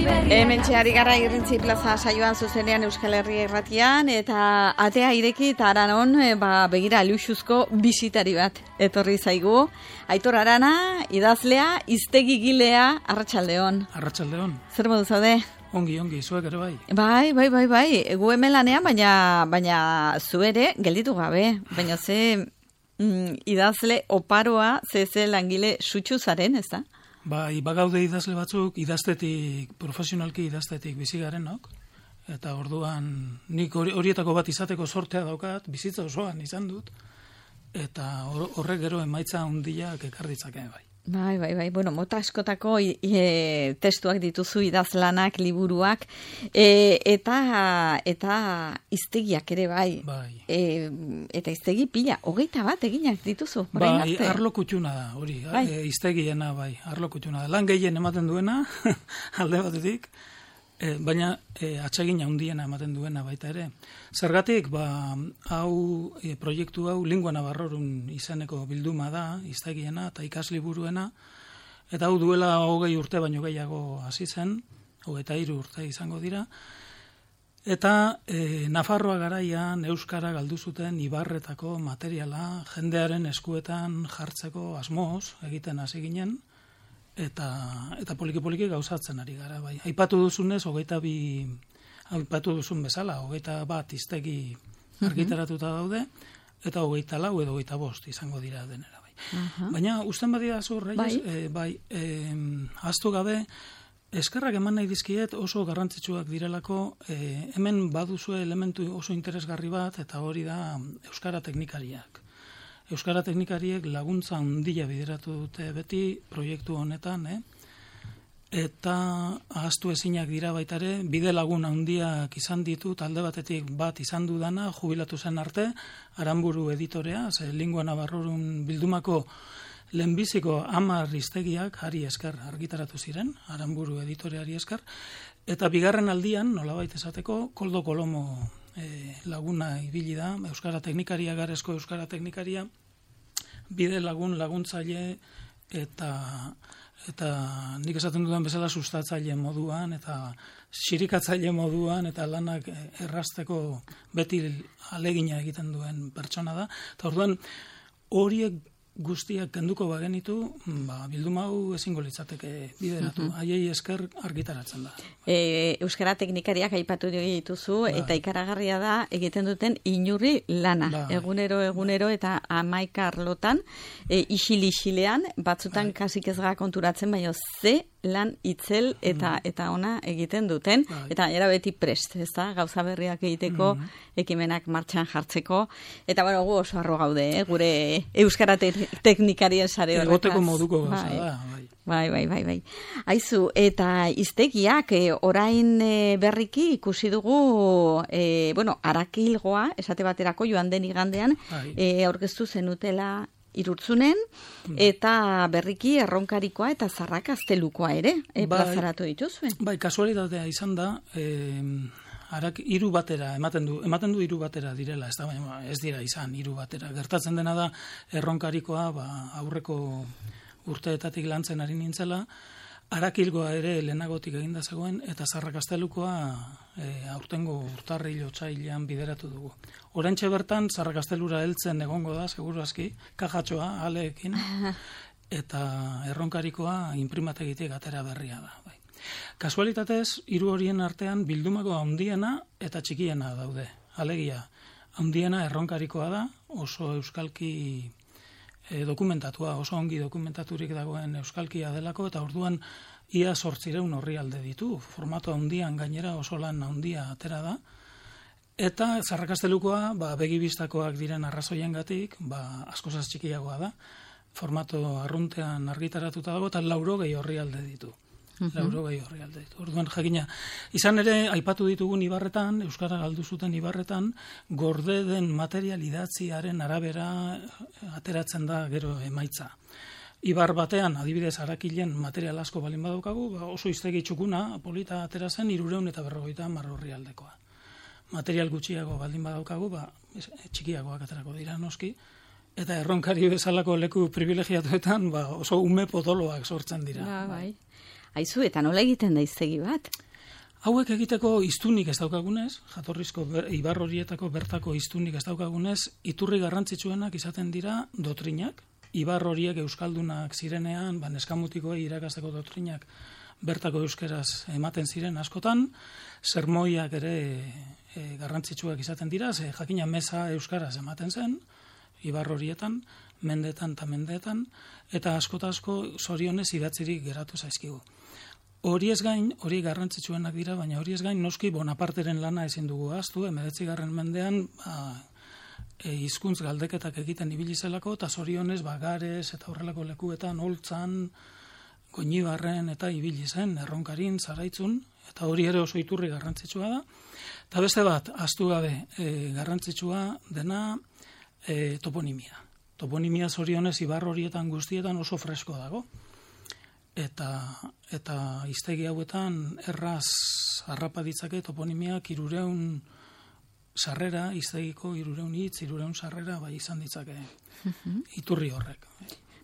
Hementxe ari gara Irrintzi Plaza saioan zuzenean Euskal Herria irratian, eta atea ireki eta Aranon begira luxuzko bisitari bat etorri zaigu. Aitor Arana, idazlea, hiztegigilea, arratsaldeon. Arratsaldeon. Zer modu zaude? Ongi, zuek ere bai. Bai. Gu hemen lanean, baina zu ere gelditu gabe. Baina ze idazle oparoa, ze langile sutsu zaren, ez da? Bai, bagaude idazle batzuk, profesionalki idaztetik bizi garenok, eta orduan nik horietako bat izateko sortea daukat, bizitza osoan izan dut, eta horrek gero emaitza handiak ekar ditzake bai. Bai. Bueno, mota askotako testuak dituzu, idazlanak, liburuak, eta hiztegiak ere bai. Eta hiztegi pila, 21 eginak dituzu. Bai, arlo kutxuna da, hori, hiztegiena bai, arlo kutxuna da. Lan gehien ematen duena, alde batetik, baina atsegin handiena ematen duena baita ere. Zergatik, proiektu hau Lingua Navarrorum izeneko bilduma da, hiztegiena eta ikasliburuena, eta hau duela 20 urte baino gehiago hasi zen, 23 urte izango dira, eta Nafarroa garaian euskara galdu zuten ibarretako materiala jendearen eskuetan jartzeko asmoz egiten hasi ginen, eta poliki gauzatzen ari gara, bai. Aipatu duzunez, aipatu duzun bezala, 21 hiztegi argitaratuta daude, eta 24 edo 25 izango dira denera, bai. Baina, usten badia zu, Reyes, ahaztu gabe, eskerrak eman nahi dizkiet oso garrantzitsuak direlako, hemen baduzue elementu oso interesgarri bat, eta hori da euskara teknikariak. Euskara teknikariek laguntza handia bideratu dute beti proiektu honetan, eta ahaztu ezinak dira baitare, bide lagun handiak izan ditut, alde batetik bat izan dudana, jubilatu zen arte, Aranburu editorea, Lingua Navarrorum bildumako lehenbiziko 10 hiztegiak hari esker argitaratu ziren, Aranburu editoreari esker, eta bigarren aldian, nolabait esateko, Koldo Kolomo laguna ibili da, euskara teknikaria, garezko euskara teknikaria, bide laguntzaile eta nik esaten dudan bezala sustatzaile moduan eta xirikatzaile moduan eta lanak errazteko beti alegina egiten duen pertsona da. Eta orduan horiek guztiak kenduko bagenitu, bilduma hau ezingo litzateke bideratu. Haiei esker argitaratzen da. Euskara teknikariak aipatu dituzu, eta ikaragarria da egiten duten inurri lana. Egunero eta 11 arlotan, isil-isilean, batzutan kasik ez gara konturatzen, baina ze lan itzel eta ona egiten duten, eta era beti prest, ez da? Gauza berriak egiteko, ekimenak martxan jartzeko, eta gu oso arro gaude, gure euskara teknikarien sare horretaz. Egoteko moduko gauza da, bai. Bai. Aizu, eta hiztegiak orain berriki ikusi dugu, Arakilgoa, esate baterako joan den igandean, aurkeztu zenutela Irurtzunen, eta berriki Erronkarikoa eta Zarrakaztelukoa ere plazaratu dituzuen. Bai, kasualitatea izan da, hiru batera, ematen du hiru batera direla, ez dira izan hiru batera. Gertatzen dena da, Erronkarikoa aurreko urteetatik lantzen ari nintzela, Arakilgoa ere lehenagotik eginda zegoen, eta Zarrakaztelukoa aurtengo urtarril otsailean bideratu dugu. Oraintxe bertan, Zarrakaztelura heltzen egongo da, seguru aski, kajatxoa, aleekin, eta Erronkarikoa inprimategitik atera berria da. Bai. Kasualitatez, hiru horien artean bildumako handiena eta txikiena daude. Alegia, handiena Erronkarikoa da, oso euskalki dokumentatua, oso ongi dokumentaturik dagoen euskalkia delako, eta orduan ia 800 orrialde ditu, formato handian gainera oso lan handia atera da, eta Zarrakaztelukoa, begibistakoak diren arrazoiengatik, askozaz txikiagoa da, formato arruntean argitaratuta dago, eta 80 orrialde ditu. Orduan jakina, izan ere, aipatu ditugun ibarretan, euskara galdu zuten ibarretan, gorde den material idatziaren arabera ateratzen da gero emaitza. Ibar batean, adibidez Arakilen material asko balin badaukagu, oso hiztegi txukuna, polita atera zen 350 orrialdekoa. Material gutxiago baldin badaukagu, txikiagoak aterako dira noski, eta Erronkari bezalako leku privilegiatuetan oso ume potoloak sortzen dira. Bai. Aizu, eta nola egiten da hiztegi bat? Hauek egiteko hiztunik ez daukagunez, jatorrizko ibar horietako bertako hiztunik ez daukagunez, iturri garrantzitsuenak izaten dira dotrinak. Ibar horiek euskaldunak zirenean, neskamutikoi irakasteko dotrinak bertako euskeraz ematen ziren askotan, sermoiak ere garrantzitsuak izaten dira, ze jakina meza euskaraz ematen zen, ibar horietan, mendeetan eta mendeetan, eta asko zorionez idatzirik geratu zaizkigu. Horiez gain, hori garrantzitsuenak dira, baina horiez gain noski Bonaparteren lana ezin dugu ahaztu, 19. mendean hizkuntz galdeketak egiten ibili zelako, eta zorionez Gares eta horrelako lekuetan Oltzan, Goñibarren eta ibili zen, Erronkarin, Zaraitzun, eta hori ere oso iturri garrantzitsua da. Eta beste bat, ahaztu gabe, garrantzitsua dena toponimia. Toponimia zorionez ibar horietan guztietan oso fresko dago. Eta hiztegi hauetan erraz harrapa ditzake toponimiak 300 sarrera, hiztegiko 300 hitz, 300 sarrera bai izan ditzake iturri horrek.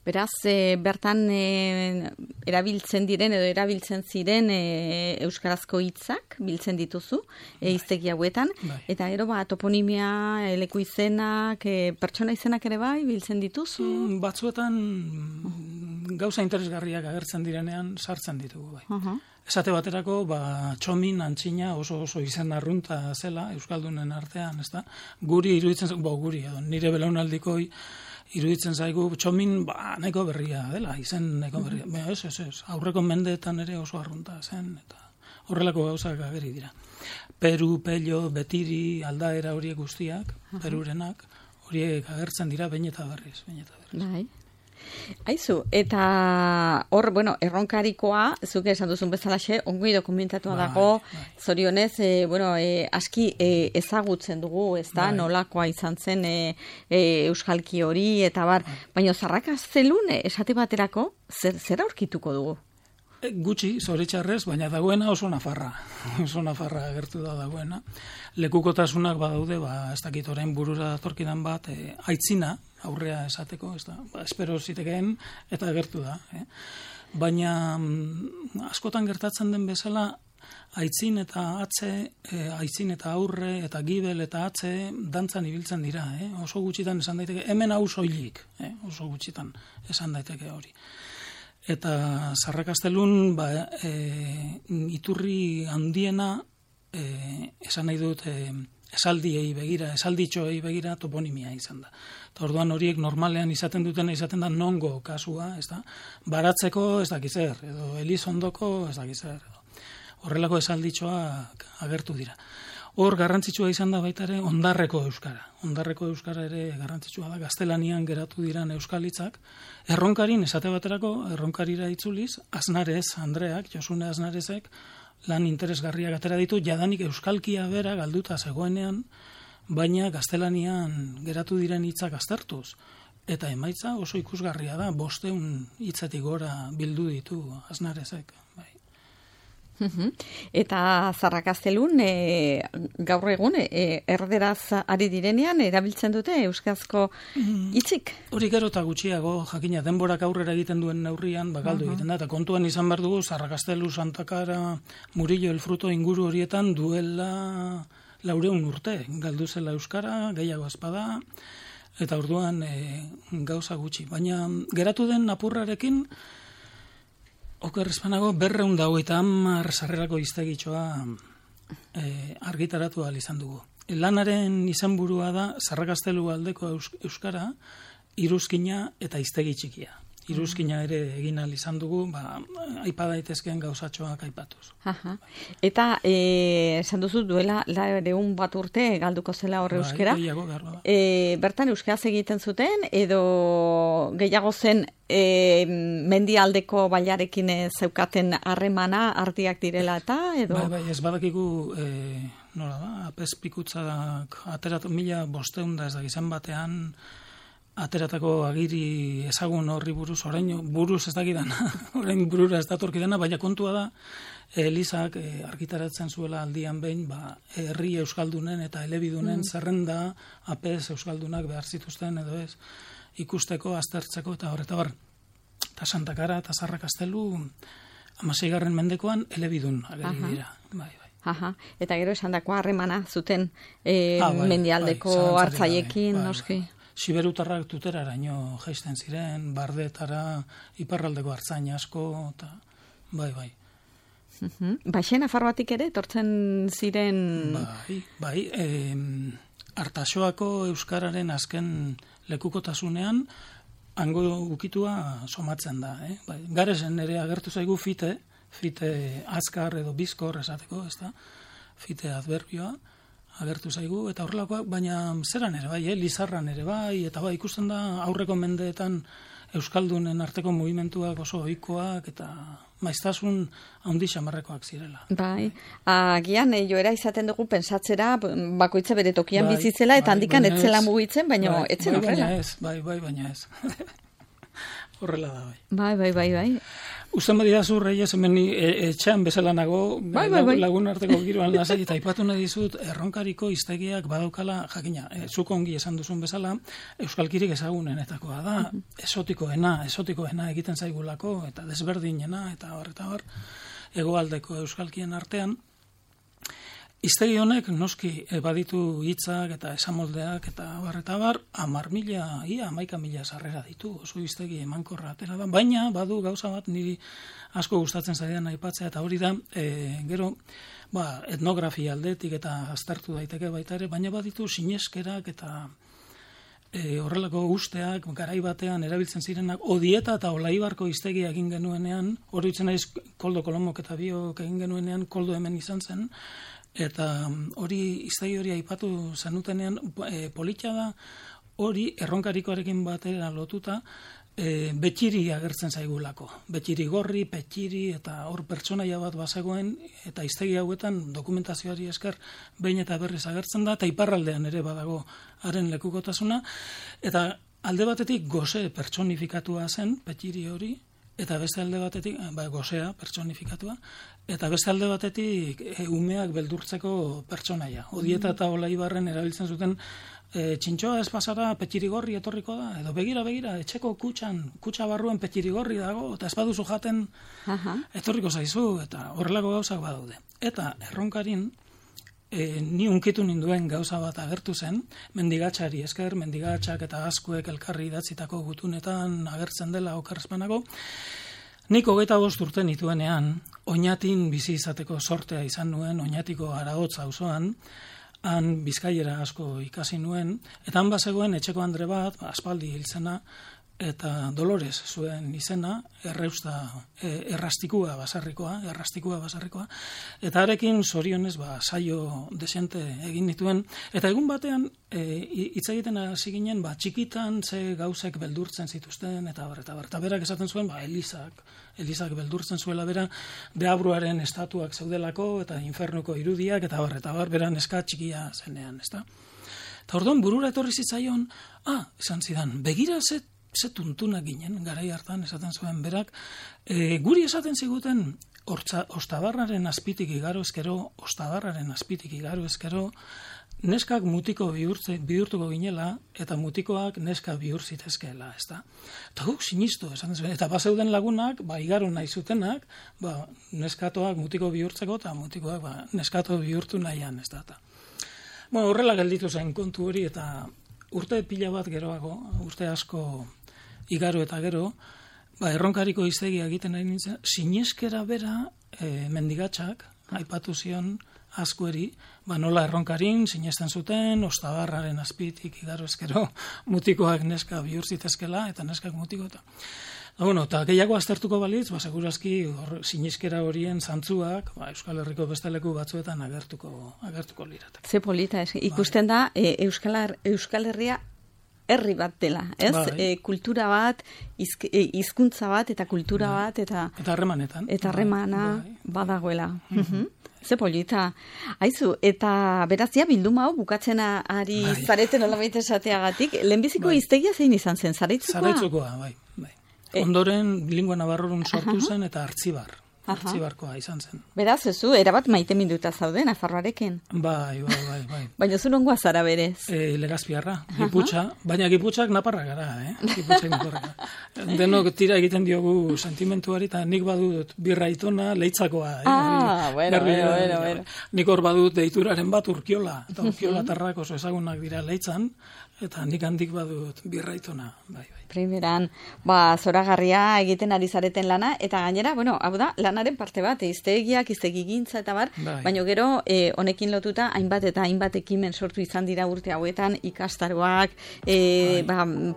Beraz, bertan erabiltzen diren edo erabiltzen ziren euskarazko hitzak biltzen dituzu hiztegi hauetan, eta gero toponimia, leku izenak, pertsona izenak ere bai biltzen dituzu? Batzuetan gauza interesgarriak agertzen direnean sartzen ditugu bai. Esate baterako, Txomin, Antxina oso izen arrunta zela euskaldunen artean, ezta? Guri iruditzen guri edo nire belaunaldikoi iruditzen zaigu Txomin nahiko berria dela, izen nahiko berria. Ez, aurreko mendeetan ere oso arrunta zen, eta horrelako gauzak ageri dira. Peru, Pello, Betiri, aldaera horiek guztiak, perurenak, horiek agertzen dira behin eta berriz. Bai. Aizu, eta hor, erronkarikoa, zuke esan duzun bezalaxe, ongi dokumentatua dago, zorionez, aski ezagutzen dugu, ez da, nolakoa izan zen euskalki hori, eta baina Zarrakastelun, esate baterako, zer aurkituko dugu? Gutxi, zoritxarrez, baina dagoena oso nafarra agertu dagoena. Lekukotasunak badaude, ez dakit orain burura datorkidan bat, aitzina, aurrea esateko, ez da, espero zitekeen, eta agertu da. Baina askotan gertatzen den bezala, aitzin eta atze, aitzin eta aurre, eta gibel eta atze, dantzan ibiltzen dira. Oso gutxitan esan daiteke, hemen hau soilik, oso gutxitan esan daiteke hori. Eta Zarrakastelun iturri handiena esan nahi dut esaldiei begira, esalditxoei begira toponimia izan da. Eta orduan horiek normalean izaten da nongo kasua, ez da? Baratzeko ez dakiz zer, edo Elizondoko ez dakiz zer. Horrelako esalditxoak agertu dira. Hor garrantzitsua izan da baita ere Ondarreko euskara. Ondarreko euskara ere garrantzitsua da, gaztelanian geratu diran euskalitzak. Erronkarin, esate baterako, erronkarira itzuliz, Aznarez, Andreak, Josune Aznarezek, lan interesgarriak atera ditu, jadanik euskalkia bera galduta zegoenean, baina gaztelanian geratu diren hitzak aztertuz. Eta emaitza oso ikusgarria da, 500 hitzetik gora bildu ditu Aznarezek. Eta Zarrakastelun gaur egun erderaz ari direnean erabiltzen dute euskarazko hitzik? Hori gero eta gutxiago, jakina denborak aurrera egiten duen neurrian galdu egiten da, eta kontuan izan behar dugu Zarrakastelu, Santakara, Murillo, El Fruto inguru horietan duela 400 urte, galdu zela euskara, gehiago espada, eta orduan gauza gutxi. Baina geratu den apurrarekin, oker espanago 250 sarrerako hiztegitxoa argitaratu ahal izan dugu. Lanaren izenburua da Zarrakastelu aldeko euskara, iruzkina eta hiztegi txikia. Iruzkina ere egin ahal izan dugu, aipa daitezkeen gauzatxoak aipatuz. Eta esan duzu duela 200 bat urte galduko zela horre euskara. Bertan euskaraz egiten zuten edo gehiago zen mendialdeko bailarekin zeukaten harremana ardiak direla eta edo? Bai, ez badakigu nola da, apez pikutzak ateratu 1500 da ez da gizan batean ateratako agiri ezagun horri buruz, orain buruz ez dakidan, orain burura ez datorkidana, baina kontua da, Elizak argitaratzen zuela aldian behin, herri euskaldunen eta elebidunen zerrenda apez euskaldunak behar zituzten edo ez, ikusteko, aztertzeko eta horreta bar. Eta Santakara eta Zarrakastelu 16. mendekoan elebidun ageri dira. Bai. Aha, eta gero esan dako harremana zuten mendialdeko hartzaiekin, noski. Siberutarrak tuteraraino jaisten ziren, bardetara, iparraldeko hartzain asko, eta bai. Baixen Nafarroatik ere, etortzen ziren... Bai, Artaxoako euskararen azken lekukotasunean, hango ukitua somatzen da. Bai, Garesen ere agertu zaigu fite azkar edo bizkor esateko, ez da? Fite adverbioa agertu zaigu, eta horrelakoak, baina zeran ere bai, Lizarran ere bai, eta bai, ikusten da aurreko mendeetan euskaldunen arteko mugimenduak oso ohikoak eta maiztasun handi xamarrekoak zirela. Bai, agian joera izaten dugu pensatzera bakoitza bere tokian bizitzela eta handikan etzela mugitzen, baina etzen horrela. Baina ez. Horrela da, bai. Bai. Usten badidazu, Reyes, hemen etxean bezala nago, lagun arteko giroan lasai, eta aipatu nahi dizut, Erronkariko hiztegiak badaukala, jakina, zuk ongi esan duzun bezala, euskalkirik ezagunenetakoa da, esotikoena egiten zaigulako, eta desberdinena, eta bar, hegoaldeko euskalkien artean. Hiztegi honek noski baditu hitzak eta esamoldeak eta bar, 11.000 sarrera ditu, oso hiztegi emankorra atera da, baina badu gauza bat niri asko gustatzen zaidan aipatzea, eta hori da, gero, etnografia aldetik eta aztertu daiteke baita ere, baina baditu sineskerak eta horrelako usteak garai batean erabiltzen zirenak, Odieta eta Olaibarko hiztegia egin genuenean, hori ditzen naiz Koldo Kolomok eta biok egin genuenean, Koldo hemen izan zen, eta hori hiztegi hori aipatu zenutenean polita da, hori Erronkarikoarekin batera lotuta betxiri agertzen zaigulako. Betxiri gorri, petxiri, eta hor pertsonaia bat bazegoen, eta hiztegi hauetan dokumentazioari esker behin eta berriz agertzen da, eta iparraldean ere badago haren lekukotasuna, eta alde batetik goze pertsonifikatua zen, petxiri hori, eta beste alde batetik, gozea pertsonifikatua, eta beste alde batetik umeak beldurtzeko pertsonaia. Odieta eta Olaibarren erabiltzen zuten txintxoa ez pasara petxirigorri etorriko da, edo begira, etxeko kutxa barruen petxirigorri dago, eta ez baduzu jaten etorriko zaizu, eta horrelako gauzak badaude. Eta Erronkarin, ni unkitu ninduen gauza bat agertu zen, mendigatxari esker, mendigatxak eta askuek elkarri idatzitako gutunetan agertzen dela okerrezpanago, nik 25 urte nituenean, Oñatin bizi izateko sortea izan nuen, Oñatiko Araotz auzoan, han bizkaiera asko ikasi nuen, eta han bazegoen etxeko andre bat, aspaldi hiltzena, eta Dolores zuen izena, errastikua basarrikoa, eta harekin zorionez saio desente egin nituen, eta egun batean hitz egiten hasi ginen, txikitan ze gauzek beldurtzen zituzten, eta berak esaten zuen, Elizak beldurtzen zuela bera, Deabruaren estatuak zeudelako, eta infernuko irudiak, eta bera neska txikia zenean, ezta? Eta orduan burura etorri zitzaion, esan zidan, begira ze tuntuna ginen, garai hartan esaten zuen berak, guri esaten ziguten ostabarraren azpitik igaro ezkero, neskak mutiko bihurtuko ginela, eta mutikoak neska bihur zitezkeela, ez da? Eta guk sinistu, esaten zuen, eta bazeuden lagunak, igaro nahi zutenak, neskatoak mutiko bihurtzeko, eta mutikoak neskato bihurtu nahian, ez da? Horrela gelditu zen kontu hori, eta urte pila bat geroago, urte asko igaro eta gero, Erronkariko hiztegia egiten nahi nintzen, sineskera bera mendigatxak, aipatu zion askueri, nola Erronkarin sinesten zuten, ostabarraren azpitik igaro ezkero, mutikoak neska bihur zitezkela, eta neskak mutiko eta... Eta gehiago aztertuko balitz, segurazki sineskera horien zantzuak, Euskal Herriko beste leku batzuetan agertuko liratek. Ze polita, ikusten da, Euskal Herria herri bat dela, ez? Kultura bat, hizkuntza bat, eta kultura bat, eta harremanetan. Eta harremana badagoela. Ze polita. Aizu, eta berazia bilduma hau bukatzen ari zareten olabait esateagatik, lehenbiziko hiztegia zein izan zen, Zaraitzukoa? Zaraitzukoa, bai. Ondoren lingua navarrorun sortu zen eta Artzibar artxibarkoa izan zen. Beraz, zu, erabat maite minduta zaude, Nafarroarekin. Bai. Baina zu nongoa zara berez? Legazpiarra, Giputxa, baina Giputxak naparra gara, Giputxak naparra. Denok tira egiten diogu sentimentuari, eta nik badut birraitona leitzakoa. Bueno. Nik hor badut deituraren bat Urkiola, eta Urkiola tarrak oso ezagunak dira leitzan, eta nik handik badut birraitona, bai. Primeran, zoragarria egiten ari zareten lana, eta gainera, hau da, lanaren parte bat, hiztegiak, hiztegigintza eta bar, baina gero, honekin lotuta, hainbat eta hainbat ekimen sortu izan dira urte hauetan, ikastaroak,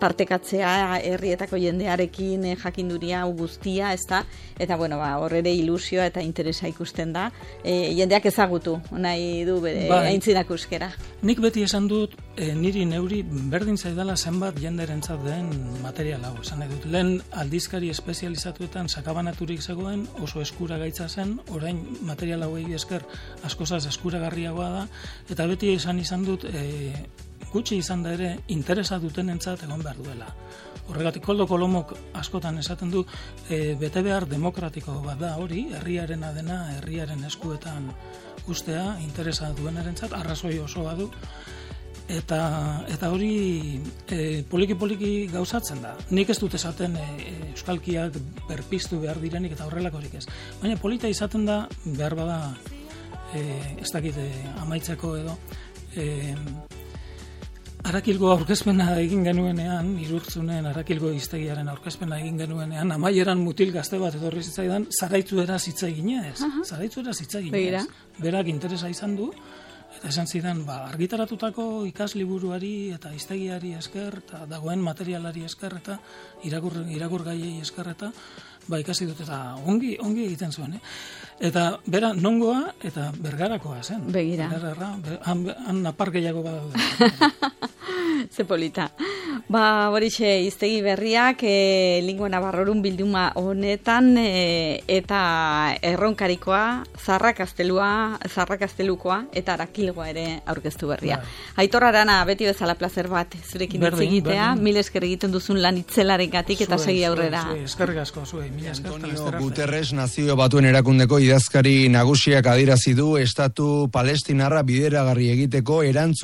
partekatzea, herrietako jendearekin, jakinduria, guztia, ez da, eta horrere ilusioa eta interesa ikusten da, jendeak ezagutu, nahi du bere aintzinak euskera. Nik beti esan dut, niri neuri berdin zaidala zenbat jenderentzat den material hau, esan nahi dut. Lehen aldizkari espezializatuetan sakabanaturik zegoen, oso eskura gaitza zen, orain material hauei esker askozaz eskuragarriagoa da, eta beti esan izan dut, gutxi izan da ere, interesa dutenentzat egon behar duela. Horregatik, Koldo Kolomok askotan esaten du, bete behar demokratiko bat da hori, herriarena dena, herriaren eskuetan ustea, interesa duenarentzat, arrazoi osoa du, eta hori poliki gauzatzen da. Nik ez dut esaten euskalkiak berpiztu behar direnik eta horrelakorik ez. Baina polita izaten da, behar bada, ez dakit amaitzeko edo, Arakilgo aurkezpena egin genuenean, Irurtzunen Arakilgo hiztegiaren aurkezpena egin genuenean, amaieran mutil gazte bat etorri zitzaidan, zaraitzueraz hitz eginez. Zaraitzueraz hitz eginez. Berak interesa izan du, eta esan zidan, argitaratutako ikasliburuari eta hiztegiari esker, eta dagoen materialari esker, eta irakurgaiei esker, eta ikasi dut, eta ongi egiten zuen. Eta bera nongoa eta Bergarakoa zen. Begira. Han napar gehiago badaude. Ze polita. Horixe hiztegi berriak Lingua Navarrorun bilduma honetan eta erronkarikoa, Zarrakaztelukoa eta Arakilgoa ere aurkeztu berria. Aitor Arana, beti bezala plazer bat zurekin hitz egitea, mil esker egiten duzun lan itzelarengatik eta segi aurrera. Eskerrik asko zuei. Antonio Guterres Nazio Batuen Erakundeko idazkari nagusiak adierazi du estatu palestinarra bideragarri egiteko erantzun